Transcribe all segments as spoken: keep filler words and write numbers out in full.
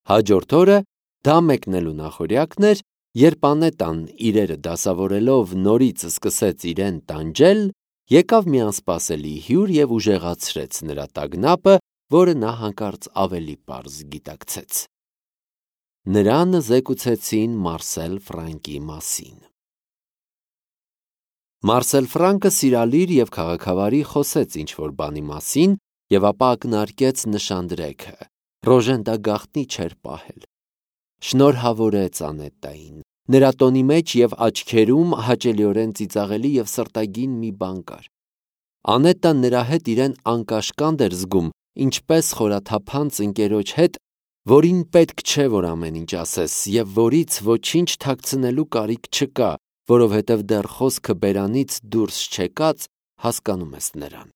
Հաջորդ օրը դա մեկնելու նախօրյակն էր, երբ Անետան իրերը դասավորելով նորից սկսեց իրեն տանջել, եկավ մի անսպասելի հյուր և ուժեղացրեց նրա տագնապը, որը նա հանկարծ ավելի պարզ գիտակցեց։ Նրան զեկուցեցին Մարսել Ֆրանկի մասին։ Մարսել Ֆրանկը սիրալիր և քաղաքավարի խոսեց ինչ-որ բանի մասին և ապա ակնարկեց նշանդրեքը։ Ռոժեն դա գաղտնի չէր պահել։ Շնորհավորեց Անետային։ Նրա տոնի մեջ և աչքերում հաճելիորեն ծիծաղելի և սրտագին մի բան կար։ Անետան նրա հետ իրեն անկաշկանդ էր զգում, ինչպես խորաթափանց ընկերոջ հետ, որին պետք չէ, որ ամեն ինչ ասես, և որից ոչինչ թաքցնելու կարիք չկա, որովհետև դեռ խոսքը բերանից դուրս չեկած հասկանում ես նրան։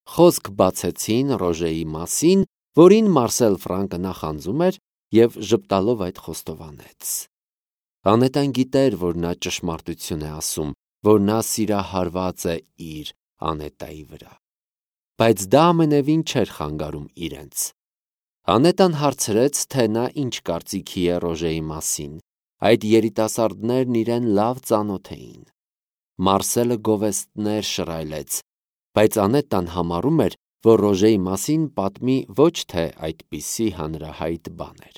Խոսք բացեցին Ռոժեի մասին, որին Մարսել Ֆրանկը նախանձում էր և ժպտալով այդ խոստովանեց։ Անետան գիտեր, որ նա ճշմարտություն է ասում, որ նա սիրահարված է իր Անետայի վրա, բայց դա ամենևին չէր խանգարում իրենց։ Անետան հարցրեց, թե նա ինչ կարծիքի է Ռոժեի մասին։ Այդ երիտասարդներն իրեն լավ ծանոթ էին։ Մարսելը գովեստներ շռայլեց, բայց Անետան համարում էր, որ Ռոժեի մասին պատմի ոչ թե այդպիսի հանրահայտ բաներ։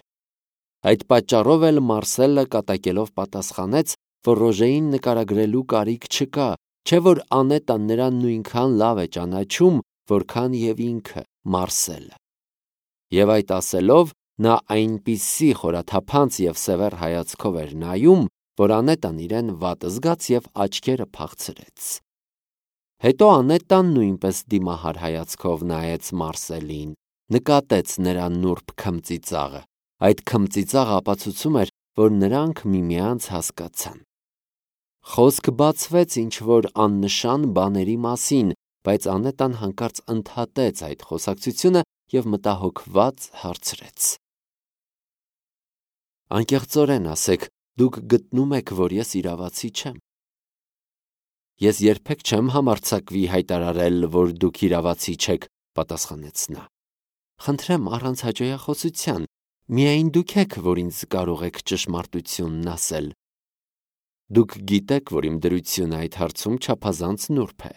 Այդ պատճառով էլ Մարսելը կատակելով պատասխանեց, որ Ռոժեին նկարագրելու կարիք չկա, չէ որ Անետան նրան նույնքան լավ է ճանաչում, որքան և ինքը Մարսելը։ Եվ այդ ասելով, նա այնպիսի խորաթափանց և սևեռ հայացքով էր նայում, որ Անետան իրեն վատ զգաց և աչքերը փախցրեց։ Հետո Անետան նույնպես դիմահար հայացքով նայեց Մարսելին, նկատեց նրա նուրբ քմծիծաղը։ Այդ քմծիծաղը ապացուցում էր, որ նրանք միմյանց հասկացան։ Խոսք բացվեց ինչ-որ աննշան բաների մասին, բայց Անետան հանկարծ ընդհատեց այդ խոսակցությունը և մտահոգված հարցրեց. Անկեղծորեն ասեք, դուք գտնում եք, որ ես իրավացի չեմ։ Ես երբեք չեմ համարձակվի հայտարարել, որ դուք իրավացի չեք, պատասխանեց նա։ Խնդրեմ առանց հաջողախոսության, միայն դուք եք, որ ինձ կարող եք ճշմարտությունն ասել։ Դուք գիտեք, որ իմ դրությունը այդ հարցում չափազանց նուրբ է։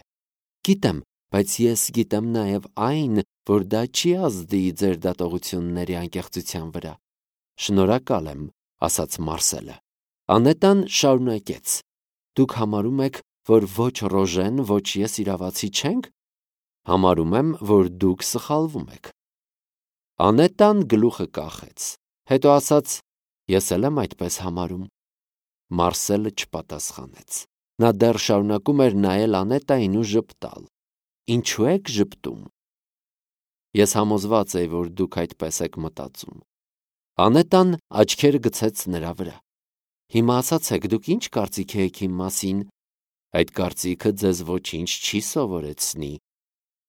Գիտեմ, բայց ես գիտեմ նաև այն, որ դա չի ազդի ձեր դատողությունների անկեղծության վրա։ Շնորհակալ եմ, ասաց Մարսելը։ Անետան շարունակեց. Դուք համարում եք, որ ոչ Ռոժեն, ոչ ես իրավացի չենք։ Համարում եմ, որ դուք սխալվում եք։ Անետան գլուխը կախեց, հետո ասաց. Ես էլ եմ այդպես համարում։ Մարսելը չպատասխանեց։ Նա դեռ շարունակում էր նայել Անետային ու ժպտալ։ Ինչու եք ժպտում։ Ես համոզված էի, որ դուք այդպես եք մտածում։ Անետան աչքերը գցեց նրա վրա։ Հիմա ասացեք, դուք ինչ կարծիք եք իմ մասին։ Այդ կարծիքը ձեզ ոչինչ չի սովորեցնի,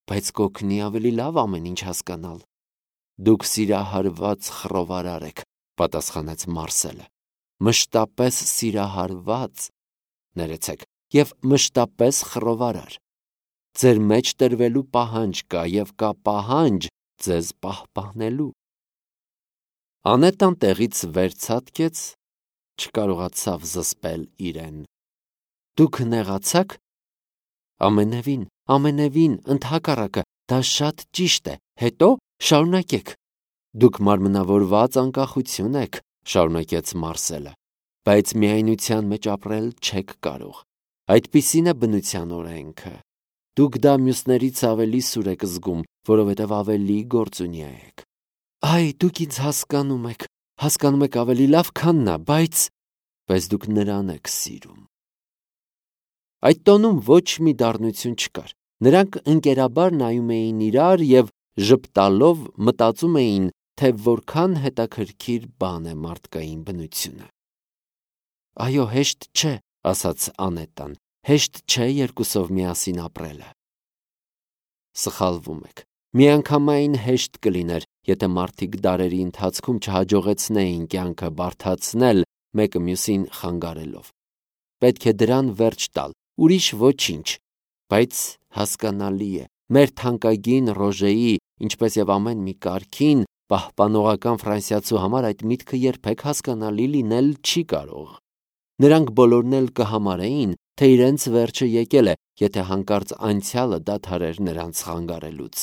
բայց կօգնի ավելի լավ ամեն ինչ հասկանալ։ Դուք սիրահարված խռովարար եք, պատասխանեց Մարսելը։ Մշտապես սիրահարված, ներեցեք, և մշտապես խռովարար։ Ձեր մեջ տրվելու պահանջ կա և կա պահանջ ձեզ պահպանելու։ Անետան տեղից վեր ցատկեց, չկարողացավ զսպել իրեն։ Դուք նեղացա՞ք։ Ամենևին, ամենևին, ընդհակառակը, դա շատ ճիշտ է, հետո շարունակեք։ Դուք մարմնավորված անկախություն եք, շարունակեց Մարսելը, բայց միայնության մեջ ապրել չեք կարող։ Այդպիսին է բնության օրենքը։ Դուք դա մյուսներից ավելի սուր եք զգում, որովհետև ավելի գործունյա եք։ Այ, դուք ինձ հասկանում եք, հասկանում եք ավելի լավ, քան նա, բայց… Բայց դուք նրան եք սիրում։ Այդ տոնում ոչ մի դառնություն չկար։ Նրանք ընկերաբար նայում էին իրար և ժպտալով մտածում էին, թե որքան հետաքրքիր բան է մարդկային բնությունը։ Այո, հեշտ չէ, ասաց Անետան, հեշտ չէ երկուսով միասին ապրելը։ Սխալվում եք։ Միանգամայն հեշտ կլիներ, եթե մարդիկ դարերի ընթացքում չհաջողեցնեին կյանքը բարդացնել մեկը մյուսին խանգարելով։ Պետք է դրան վերջ տալ, ուրիշ ոչինչ, բայց հասկանալի է, մեր թանկագին Ռոժեի, ինչպես և ամեն մի կարգին, պահպանողական ֆրանսիացու համար այդ միտքը երբեք հասկանալի լինել չի կարող։ Նրանք բոլորն էլ կհամարեին, թե իրենց վերջը եկել է, եթե հանկարծ անցյալը դադարեր նրանց խանգարելուց։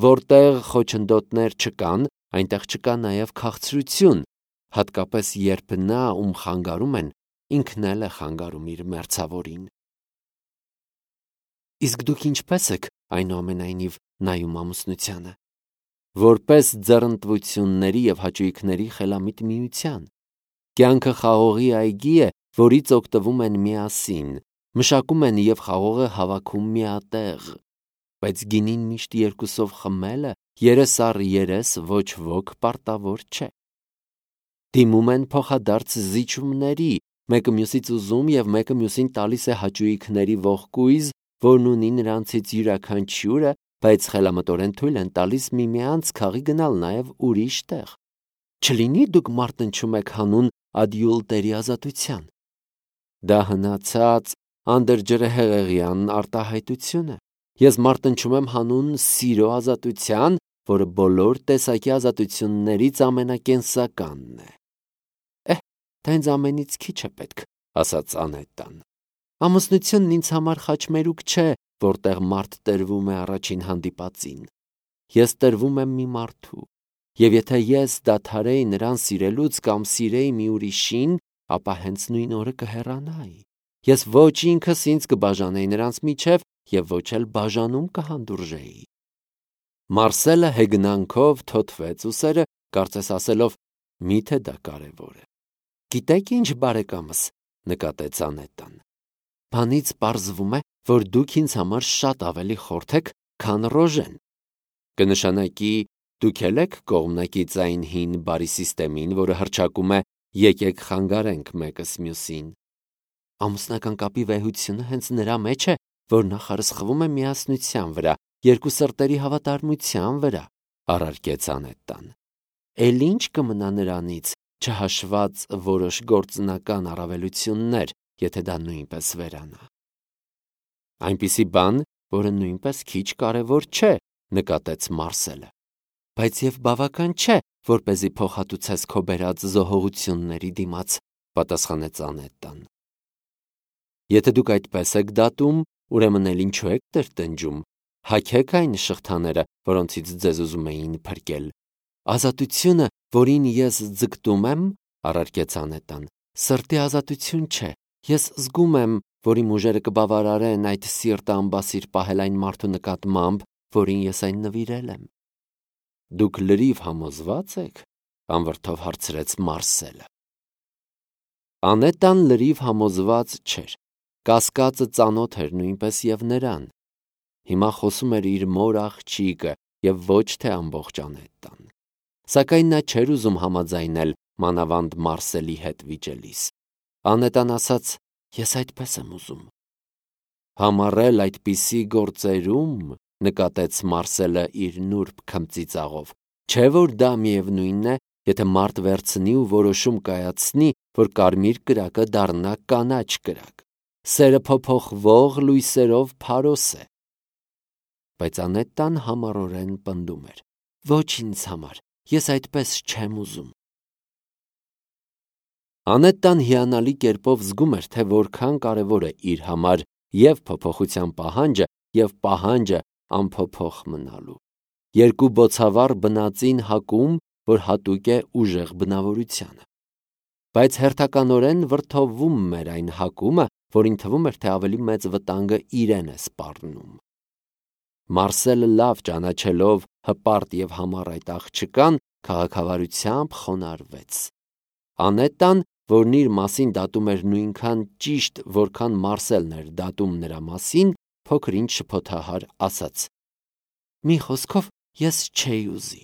Որտեղ խոչընդոտներ չկան, այնտեղ չկա նաև քաղցրություն, հատկապես երբ նա, ում խանգարում են, ինքն էլ է խանգարում իր մերձավորին։ Իսկ դուք ինչպես եք այնուամենայնիվ նայում ամուսնությանը։ Որպես ձեռնտվությունների և հաճույքների խելամիտ միության։ Կյանքը խաղողի այգի է, որից օգտվում են միասին, մշակում են և խաղողը հավաքում միատեղ, բայց գինին միշտ երկուսով խմելը երես առ երես ոչ ոք պարտավոր չէ։ Դիմում են փոխադարձ զիջումների, մեկը մյուսից ուզում և մեկը մյուսին տալիս է հաճույքների ողկույզ, որն ունի նրանցից յուրաքանչյուրը, բայց խելամտորեն թույլ են տալիս միմյանց քաղի գնալ նաև ուրիշ տեղ։ Չլինի դուք մարտնչում եք հանուն ադյուլտերի ազատության։ Դա հնացած անդրջրհեղեղյան արտահայտություն է։ Ես մարտնչում եմ հանուն սիրո ազատության, որը բոլոր տեսակի ազատություններից ամենակենսականն է։ Էհ, դա ինձ ամենից քիչ է պետք, ասաց Անետան։ Ամուսնությունն ինձ համար խաչմերուկ չէ, որտեղ մարդ տրվում է առաջին հանդիպածին։ Ես տրվում եմ մի մարդու, և եթե ես դադարեի նրան սիրելուց կամ սիրեի մի ուրիշին, ապա հենց նույն օրը կհեռանայի։ Ես ոչ ինքս ինձ կբաժանեի նրանց միջև և ոչ էլ բաժանում կհանդուրժեի։ Մարսելը հեգնանքով թոթվեց ուսերը, կարծես ասելով. «Միթե դա կարևոր է»։ Գիտեք ինչ, բարեկամս, նկատեց Անետան։ Բանից պարզվում է, որ դուք ինձ համար շատ ավելի խորթ եք, քան Ռոժեն։ Կնշանակի դուք էլ եք կողմնակից այն հին բարի սիստեմին, որը հռչակում է եկեք խանգարենք մեկս մյուսին։ Ամուսնական կապի վեհությունը հենց նրա մեջ է, որ նախարսխվում է միասնության վրա, երկու սրտերի հավատարմության վրա, առարկեց Անետան։ Էլ ինչ կմնա նրանից, չհաշված որոշ գործնական առավելություններ, եթե դա նույնպես վերանա։ Այնպիսի բան, որը նույնպես քիչ կարևոր չէ, նկատեց Մարսելը։ Բայց և բավական չէ, որպեսզի փոխհատուցես քո բերած զոհողությունների դիմաց, պատասխանեց Անետան։ Եթե դուք այդպես եք դատում, ուրեմն էլ ինչու եք տրտնջում, հագեք այն շղթաները, որոնցից ձեզ ուզում էին փրկել։ Ազատությունը, որին ես ձգտում եմ, առարկեց Անետան, սրտի ազատություն չէ։ Ես զգում եմ, որ իմ ուժերը կբավարարեն այդ սիրտը ամբասիր պահել այն մարդու նկատմամբ, որին ես այն նվիրել եմ։ Դուք լրիվ համոզվա՞ծ եք, անվրդով հարցրեց Մարսելը։ Անետան լրիվ համոզված չէր։ Կասկածը ծանոթ էր նույնպես և նրան։ Հիմա խոսում էր իր մոր աղջիկը և ոչ թե ամբողջ Անետան։ Սակայն նա չէր ուզում համաձայնել մանավանդ Մարսելի հետ վիճելիս։ Անետան ասաց. «Ես այդպես եմ ուզում»։ Համառել այդպիսի գործերում, նկատեց Մարսելը իր նուրբ քմծիծաղով, չէ՞ որ դա միևնույնն է, եթե մարդ վերցնի ու որոշում կայացնի, որ կարմիր կրակը դառնա կանաչ կրակ։ Սերը փոփոխվող լույսերով փարոս է։ Բայց Անետան համառորեն պնդում էր. «Ոչ ինձ համար, ես այդպես չեմ ուզում»։ Անետան հիանալի կերպով զգում էր, թե որքան կարևոր է իր համար և փոփոխության պահանջը, և պահանջը անփոփոխ մնալու։ Երկու բոցավառ բնածին հակում, որ հատուկ է ուժեղ բնավորությանը։ Բայց հերթականորեն վրդովվում էր այն հակումը, որին թվում էր, թե ավելի մեծ վտանգը իրեն է սպառնում։ Մարսելը լավ ճանաչելով հպարտ և համառ այդ աղջկան, քաղաքավարությամբ խոնարհվեց։ Անետան, որն իր մասին դատում էր նույնքան ճիշտ, որքան Մարսելն էր դատում նրա մասին, փոքր-ինչ շփոթահար ասաց. «Մի խոսքով, ես չէի ուզի»։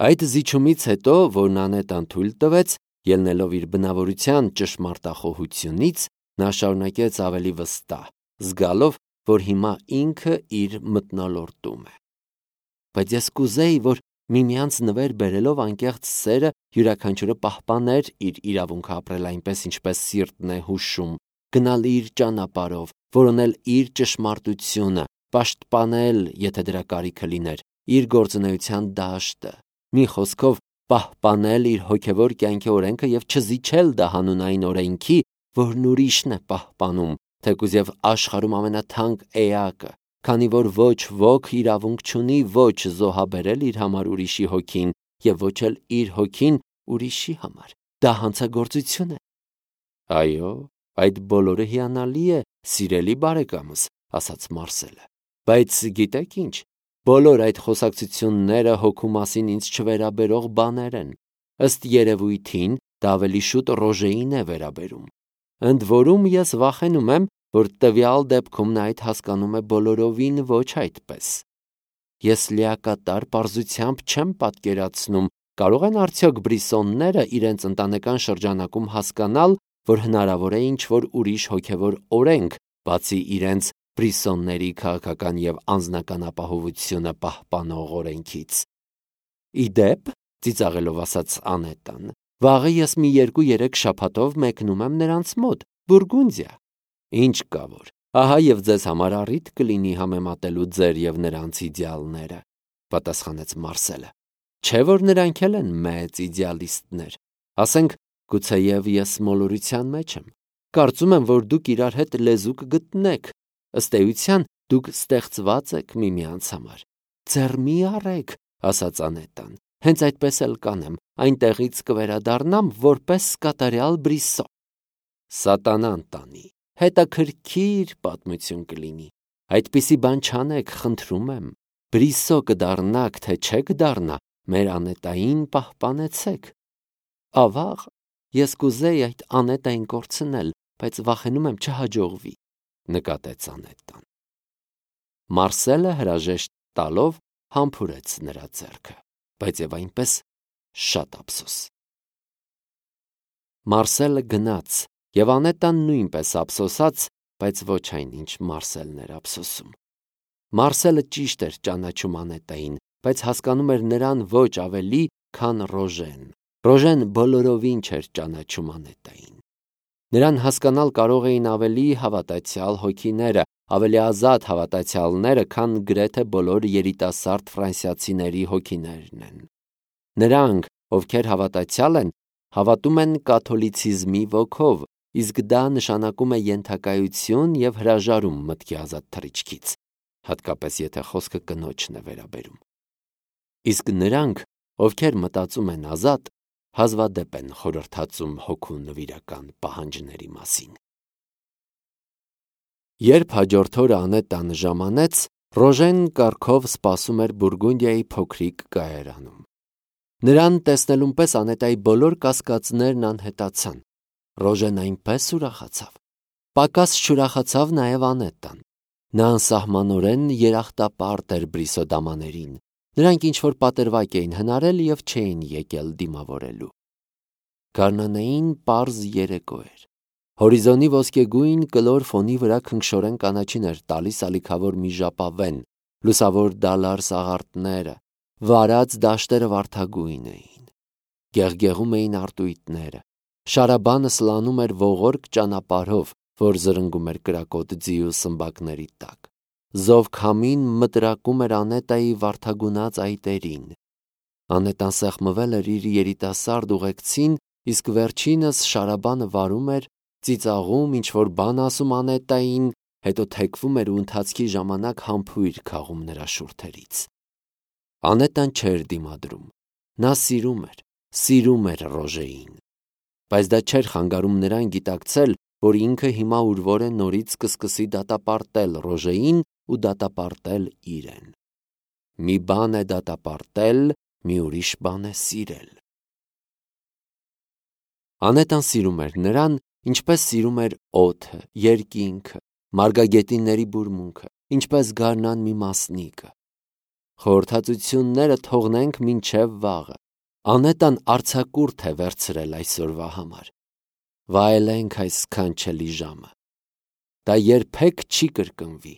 Այդ զիջումից հետո, որն Անետան թույլ տվեց, ելնելով իր բնավորության ճշմարտախոհությունից, նա շարունակեց ավելի վստահ, զգալով, որ հիմա ինքը իր մթնոլորտում է։ Բայց ես կուզեի, որ միմյանց նվեր բերելով անկեղծ սերը յուրաքանչյուրը պահպաներ իր իրավունքը ապրել այնպես, ինչպես սիրտն է հուշում, գնալ իր ճանապարհով, որոնել իր ճշմարտությունը, պաշտպանել, եթե դրա կարիքը լիներ, իր գործունեության դաշտը, մի խոսքով պահպանել իր հոգևոր կյանքի օրենքը եւ չզիջել դա հանուն այն օրենքի, որն ուրիշն է պահպանում, թեկուզ եւ աշխարհում ամենաթանկ էակը, քանի որ ոչ ոք իրավունք չունի ոչ զոհաբերել իր համար ուրիշի հոգին եւ ոչ էլ իր հոգին ուրիշի համար։ Դա հանցագործություն է։ Այո, այդ բոլորը հիանալի է, սիրելի բարեկամս, ասաց Մարսելը։ Բայց գիտեք ինչ, բոլոր այդ խոսակցությունները հոգու մասին ինձ չվերաբերող բաներ են։ Ըստ երևույթին դա ավելի շուտ Ռոժեին է վերաբերում։ Ընդ որում ես վախենում եմ, որ տվյալ դեպքում նա այդ հասկանում է բոլորովին ոչ այդպես։ Ես լիակատար պարզությամբ չեմ պատկերացնում, կարող են արդյոք բրիսոնները իրենց ընտանեկան շրջանակում հասկանալ, որ հնարավոր է ինչ-որ ուրիշ հոգևոր օրենք, բացի իրենց բրիսոնների քաղաքական եւ անձնական ապահովությունը պահպանող օրենքից։ Իդեպ, ծիծաղելով ասաց Անետան, վաղը ես մի երկու-երեք շաբաթով մեկնում եմ նրանց մոտ, Բուրգունդիա։ Ինչ կա որ, ահա եւ ձեզ համար առիթ կլինի համեմատելու ձեր եւ նրանց իդեալները, պատասխանեց Մարսելը։ Չէ՞ որ նրանք էլ են մեծ իդեալիստներ։ Ասենք, գուցեև ես մոլորության մեջ եմ։ Կարծում եմ, որ դուք իրար հետ լեզու կգտնեք։ Ըստ էության, դուք ստեղծված եք միմյանց համար։ Ձեռ մի առեք, ասաց Անետան։ Հենց այդպես էլ կանեմ, այնտեղից կվերադառնամ որպես կատարյալ բրիսո։ Սատանան տանի, հետաքրքիր պատմություն կլինի։ Այդպիսի բան չանեք, խնդրում եմ։ Բրիսո կդառնաք, թե չեք դառնա, մեր Անետային պահպանեցեք։ Ավաղ, ես կուզեի այդ Անետային կորցնել, բայց վախենում եմ չհաջողվի, նկատեց Անետան։ Մարսելը հրաժեշտ տալով համբուրեց նրա ձեռքը, բայց եւ այնպես շատ ափսոս։ Մարսելը գնաց, եւ Անետան նույնպես ափսոսաց, բայց ոչ այնինչ Մարսելն էր ափսոսում։ Մարսելը ճիշտ էր ճանաչում Անետային, բայց հասկանում էր նրան ոչ ավելի, քան Ռոժեն։ Ռոժեն բոլորովին չէր ճանաչում Անետային։ Նրան հասկանալ կարող էին ավելի հավատացյալ հոգիները, ավելի ազատ հավատացյալները, քան գրեթե բոլոր երիտասարդ ֆրանսիացիների հոգիներն են։ Նրանք, ովքեր հավատացյալ են, հավատում են կաթոլիցիզմի ոգով, իսկ դա նշանակում է ենթակայություն եւ հրաժարում մտքի ազատ թռիչքից, հատկապես եթե խոսքը կնոջն է վերաբերում։ Իսկ նրանք, ովքեր մտածում են ազատ, հազվադեպ են խորհրդածում հոգու նվիրական պահանջների մասին։ Երբ հաջորդ օրը Անետան ժամանեց, Ռոժեն կառքով սպասում էր Բուրգունդիայի փոքրիկ կայարանում։ Նրան տեսնելուն պես Անետայի բոլոր կասկածներն անհետացան։ Ռոժեն այնպես ուրախացավ։ Պակաս չուրախացավ նաև Անետան։ Նա անսահմանորեն երախտապարտ էր Բրիսո դամաներին։ Նրանք ինչ-որ պատրվակ էին հնարել եւ չէին եկել դիմավորելու։ Գարնանային պարզ երեկո էր։ Հորիզոնի ոսկեգույն կլոր ֆոնի վրա քնքշորեն կանաչին էր տալիս ալիքավոր մի ժապավեն, լուսավոր դալար սաղարթները, վարած դաշտերը վարդագույն էին։ Գեղգեղում էին արտույտները։ Շարաբանը սլանում էր ողորկ ճանապարհով, որ զրնգում էր կրակոտ ձի ու սմբակների տակ։ Զով քամին մտրակում էր Անետայի վարդագունած այտերին։ Անետան սեղմվել էր իր երիտասարդ ուղեկցին, իսկ վերջինս շարաբանը վարում էր, ծիծաղում, ինչ-որ բան ասում Անետային, հետո թեքվում էր ու ընթացքի ժամանակ համբույր քաղում նրա շուրթերից։ Անետան չէր դիմադրում։ Նա սիրում էր, սիրում էր Ռոժեին։ Բայց դա չէր խանգարում նրան գիտակցել, որ ինքը հիմա ուրվոր է նորից կսկսի դատապարտել Ռոժեին ու դատապարտել իրեն։ Մի բան է դատապարտել, մի ուրիշ բան է սիրել։ Անետան սիրում էր նրան, ինչպես սիրում էր օդը, երկինքը, մարգագետինների բուրմունքը, ինչպես գարնան մի մասնիկը։ Խորհրդածությունները թողնենք մինչև վաղը։ Անետան արձակուրդ է վերցրել այսօրվա համար։ Վայելենք այս սքանչելի ժամը։ Դա երբեք չի կրկնվի։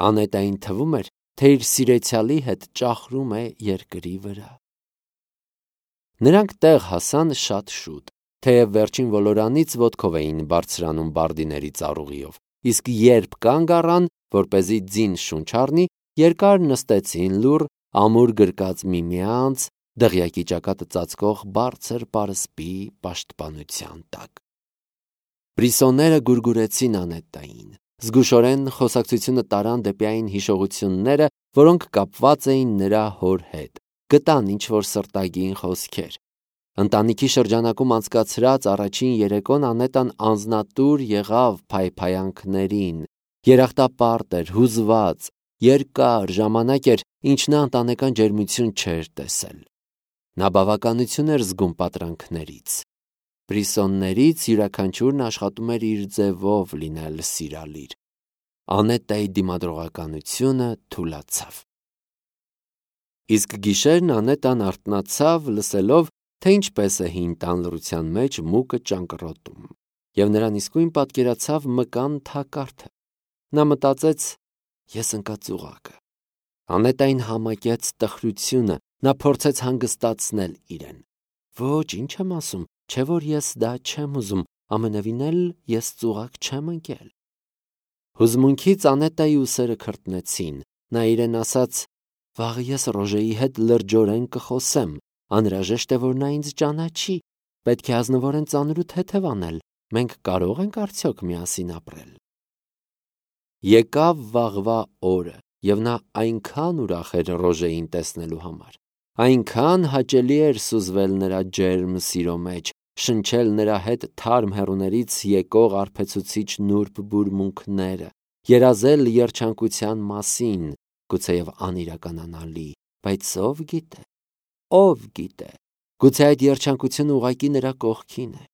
Անետային թվում էր, թե իր սիրեցյալի հետ ճախրում է երկրի վրա։ Նրանք տեղ հասան շատ շուտ, թեև վերջին ոլորանից ոտքով էին բարձրանում բարդիների ծառուղիով, իսկ երբ կանգ առան, որպեսզի ձին շունչ առնի, երկար նստեցին լուռ, ամուր գրկած միմյանց, դղյակի ճակատը ծածկող բարձր պարսպի պաշտպանության տակ։ Բրիսոնները գուրգուրեցին Անետային, զգուշորեն խոսակցությունը տարան դեպի այն հիշողությունները, որոնք կապված էին նրա հոր հետ, գտան ինչ-որ սրտագին խոսքեր։ Ընտանիքի շրջանակում անցկացրած առաջին երեկոն Անետան անձնատուր եղավ փայփայանքներին, երախտապարտ էր, հուզված, երկար ժամանակ էր, ինչ նա ընտանեկան ջերմություն չէր տեսել։ Նա բավականություն էր զգում պատրանքներից։ Բրիսոններից յուրաքանչյուրն աշխատում էր իր ձևով լինել սիրալիր։ Անետայի դիմադրողականությունը թուլացավ։ Իսկ գիշերն Անետան արթնացավ, լսելով, թե ինչպես է հին տան լռության մեջ մուկը ճանկռոտում, և նրան իսկույն պատկերացավ մկան թակարդը։ Նա մտածեց. «Ես ընկա ծուղակը»։ Անետային համակեց տխրությունը, նա փորձեց հանգստացնել իրեն։ «Ոչ, ինչ եմ ասում, չէ որ ես դա չեմ ուզում, ամենևին էլ ես ծուղակ չեմ ընկել»։ Հուզմունքից Անետայի ուսերը քրտնեցին, նա իրեն ասաց. «Վաղը ես Ռոժեի հետ լրջորեն կխոսեմ, անհրաժեշտ է, որ նա ինձ ճանաչի, պետք է ազնվորեն ծանր ու թեթև անել, մենք կարո՞ղ ենք արդյոք միասին ապրել»։ Եկավ վաղվա օրը, և նա այնքան ուրախ էր Ռոժեին տեսնելու համար, այնքան հաճելի էր սուզվել նրա ջերմ սիրո մեջ, շնչել նրա հետ թարմ հեռուներից եկող արբեցուցիչ նուրբ բուրմունքները, երազել երջանկության մասին, գուցեև անիրականանալի, բայց ով գիտե, ով գիտե, գուցե այդ երջանկությունը ուղղակի նրա կողքին է։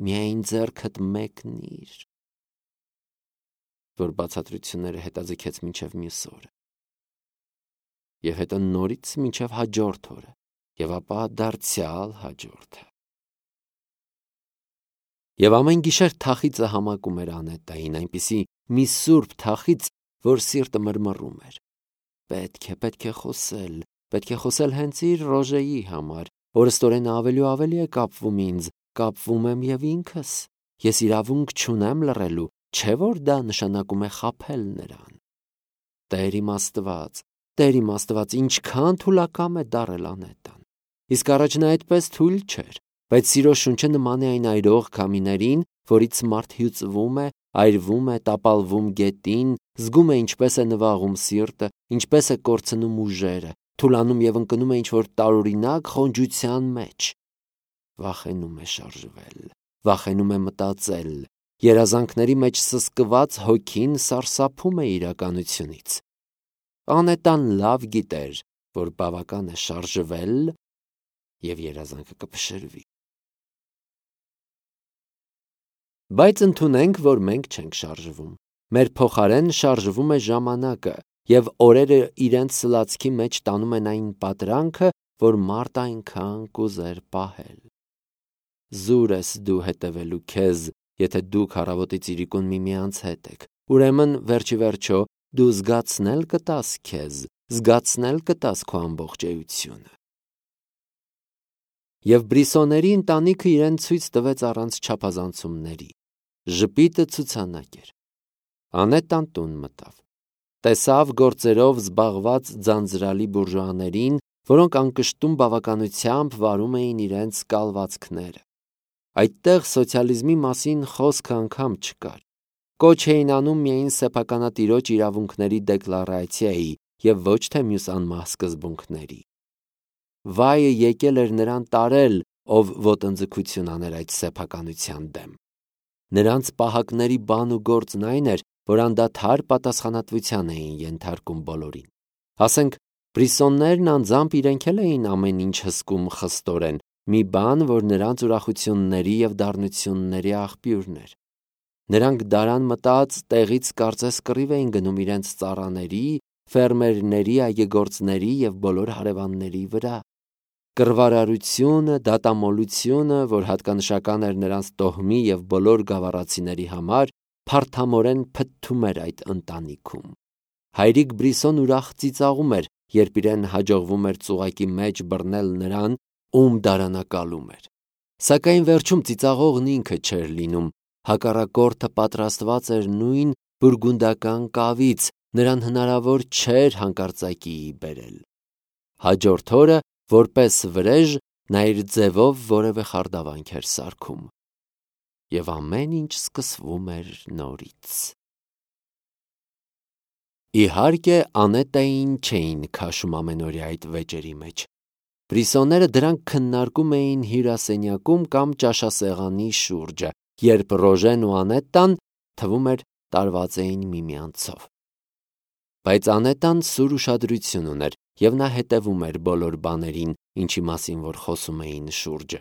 Միայն ձեռքդ մեկնիր, որ բացատրությունները հետաձգեց մինչև մյուս օրը, և հետո նորից մինչև հաջորդ օրը, և ապա դարձյալ հաջորդը։ Եվ ամեն գիշեր թախիծը համակում էր Անետային, այնպիսի մի սուրբ թախիծ, որ սիրտը մրմռում էր։ Պետք է, պետք է խոսել, պետք է խոսել հենց իր Ռոժեի համար, օրըստօրեն ավելի ու ավելի է կապվում ինձ, կապվում եմ և ինքս, ես իրավունք չունեմ լռելու, չէ որ դա նշանակում է խաբել նրան։ Տեր իմ Աստված, Տեր իմ Աստված, ինչքան թուլակամ է դառել Անետան։ Իսկ առաջ նա այդպես թույլ չէր, բայց սիրո շունչը նման է այն այրող քամիներին, որից մարդ հյուծվում է, այրվում է, տապալվում գետին, զգում է ինչպես է նվաղում սիրտը, ինչպես է կորցնում ուժերը, թուլանում և ընկնում է ինչ-որ տարօրինակ խոնջության մեջ։ Վախենում է շարժվել, վախենում է մտածել, երազանքների մեջ սսկված հոգին սարսափում է իրականությունից։ Անետան լավ գիտեր, որ բավական է շարժվել, և երազանքը կփշրվի։ Բայց ընդունենք, որ մենք չենք շարժվում։ Մեր փոխարեն շարժվում է ժամանակը, և օրերը իրենց սլացքի մեջ տանում են այն պատրանքը, որ մարդը այնքան կուզեր պահել։ Զուր ես դու հետևելու քեզ, եթե դուք առավոտից իրիկուն միմյանց հետ եք, ուրեմն վերջի վերջո դու զգացնել կտաս քեզ, զգացնել կտաս քո ամբողջ էությունը։ Եվ Բրիսոների ընտանիքը իրեն ցույց տվեց առանց չափազանցումների։ Ժպիտը ցուցանակ էր։ Անետան տուն մտավ։ Տեսավ գործերով զբաղված ձանձրալի բուրժուաներին, որոնք անկշտում բավականությամբ վարում էին իրենց կալվածքները։ Այդտեղ սոցիալիզմի մասին խոսքը անգամ չկար։ Կոչ էին անում միայն սեփականատիրոջ իրավունքների դեկլարացիայի և ոչ թե մյուս անմահ սկզբունքների։ Վայը եկել էր նրան տարել, ով ոտնձգություն աներ այդ սեփականության դեմ։ Նրանց պահակների բան ու գործն այն էր, որ անդադար պատասխանատվության էին ենթարկում բոլորին։ Ասենք, Բրիսոններն անձամբ իրենք էլ էին ամեն ինչ հսկում խստորեն, մի բան, որ նրանց ուրախությունների և դառնությունների աղբյուրն էր։ Նրանք դարան մտած տեղից կարծես կռիվ էին գնում իրենց ծառաների, ֆերմերների, այգեգործների և բոլոր հարևանների վրա։ Կռվարարությունը, դատամոլությունը, որ հատկանշական էր նրանց տոհմի և բոլոր գավառացիների համար, փարթամորեն փթթում էր այդ ընտանիքում։ Հայրիկ Բրիսոն ուրախ ծիծաղում էր, երբ իրեն հաջողվում էր ծուղակի մեջ բռնել նրան, ում դարանակալում էր։ Սակայն վերջում ծիծաղողն ինքը չէր լինում, հակառակորդը պատրաստված էր նույն բուրգունդական կավից, նրան հնարավոր չէր հանկարծակիի բերել։ Հաջորդ օրը որպես վրեժ նա իր ձևով որևէ խարդավանք էր սարքում։ Եվ ամեն ինչ սկսվում էր նորից։ Իհարկե, Անետային չէին քաշում ամենօրյա այդ վեճերի մեջ։ Բրիսոնները դրանք քննարկում էին հյուրասենյակում կամ ճաշասեղանի շուրջը, երբ Ռոժեն ու Անետան թվում էր տարված էին միմյանցով։ Բայց Անետան սուր ուշադրություն ուներ, և նա հետևում էր բոլոր բաներին, ինչի մասին որ խոսում էին շուրջը։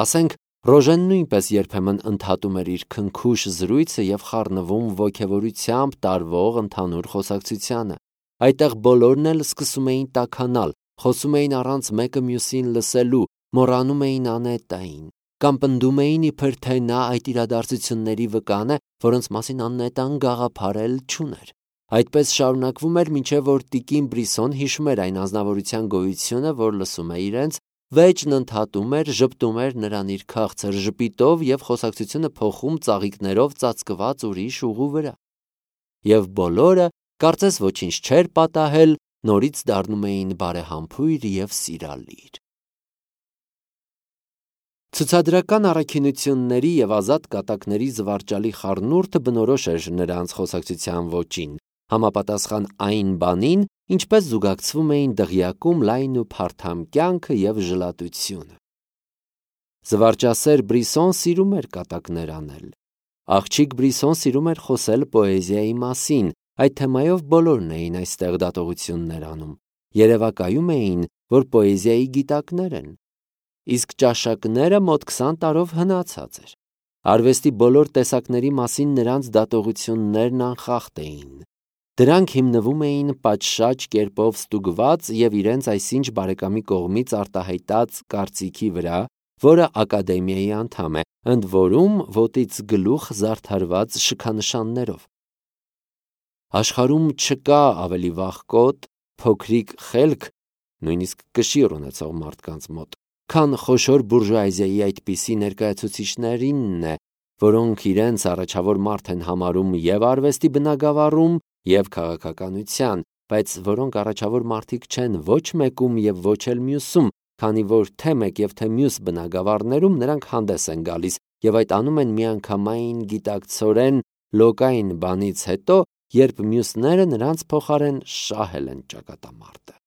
Ասենք, Ռոժեն նույնպես երբեմն ընդհատում էր իր քնքուշ զրույցը և խառնվում ոգևորությամբ տարվող ընդհանուր խոսակցությանը։ Այդտեղ բոլորն էլ սկսում էին տաքանալ, խոսում էին առանց մեկը մյուսին լսելու, մոռանում էին Անետային, կամ պնդում էին, իբր թե նա այդ իրադարձությունների վկան է, որոնց մասին Անետան գաղափար էլ չուներ։ Այդպես շարունակվում էր, մինչև որ տիկին Բրիսոն հիշում էր այն անձնավորության գոյությունը, որ լսում է իրենց, վեճն ընդհատում էր, ժպտում էր նրան իր քաղցր ժպիտով և խոսակցությունը փոխում ծաղիկներով ծածկված ուրիշ ուղու վրա։ Եվ բոլորը, կարծես ոչինչ չէր պատահել, նորից դառնում էին բարեհամբույր և սիրալիր։ Ցուցադրական առաքինությունների և ազատ կատակների զվարճալի խառնուրդը բնորոշ էր նրանց խոսակցության ոճին, համապատասխան այն բանին, ինչպես զուգակցվում էին դղյակում լայն ու փարթամ կյանքը և ժլատությունը։ Զվարճասեր Բրիսոն սիրում էր կատակներ անել։ Աղջիկ Բրիսոն սիրում էր խոսել պոեզիայի մասին, այդ թեմայով բոլորն էին այստեղ դատողություններ անում, երևակայում էին, որ պոեզիայի գիտակներ են։ Իսկ ճաշակները մոտ քսան տարով հնացած էր։ Արվեստի բոլոր տեսակների մասին նրանց դատողություններն անխախտ էին։ Դրանք հիմնվում էին պատշաճ կերպով ստուգված և իրենց այսինչ բարեկամի կողմից արտահայտած կարծիքի վրա, որը ակադեմիայի անդամ է, ընդ որում ոտից գլուխ զարդարված շքանշաններով։ Աշխարհում չկա ավելի վախկոտ, փոքրիկ խելք, նույնիսկ կշիռ ունեցող մարդկանց մոտ, քան խոշոր բուրժուազիայի այդպիսի ներկայացուցիչներինն է, որոնք իրենց առաջավոր մարդ են համարում և արվեստի բնագավառում, և քաղաքականության, բայց որոնք առաջավոր մարդիկ չեն ոչ մեկում և ոչ էլ մյուսում, քանի որ թե մեկ և թե մյուս բնագավառներում նրանք հանդես են գալիս և այդ անում են միանգամայն գիտակցորեն լոկային բանից հետո, երբ մյուսները նրանց փոխարեն շահել են ճակատամարտը։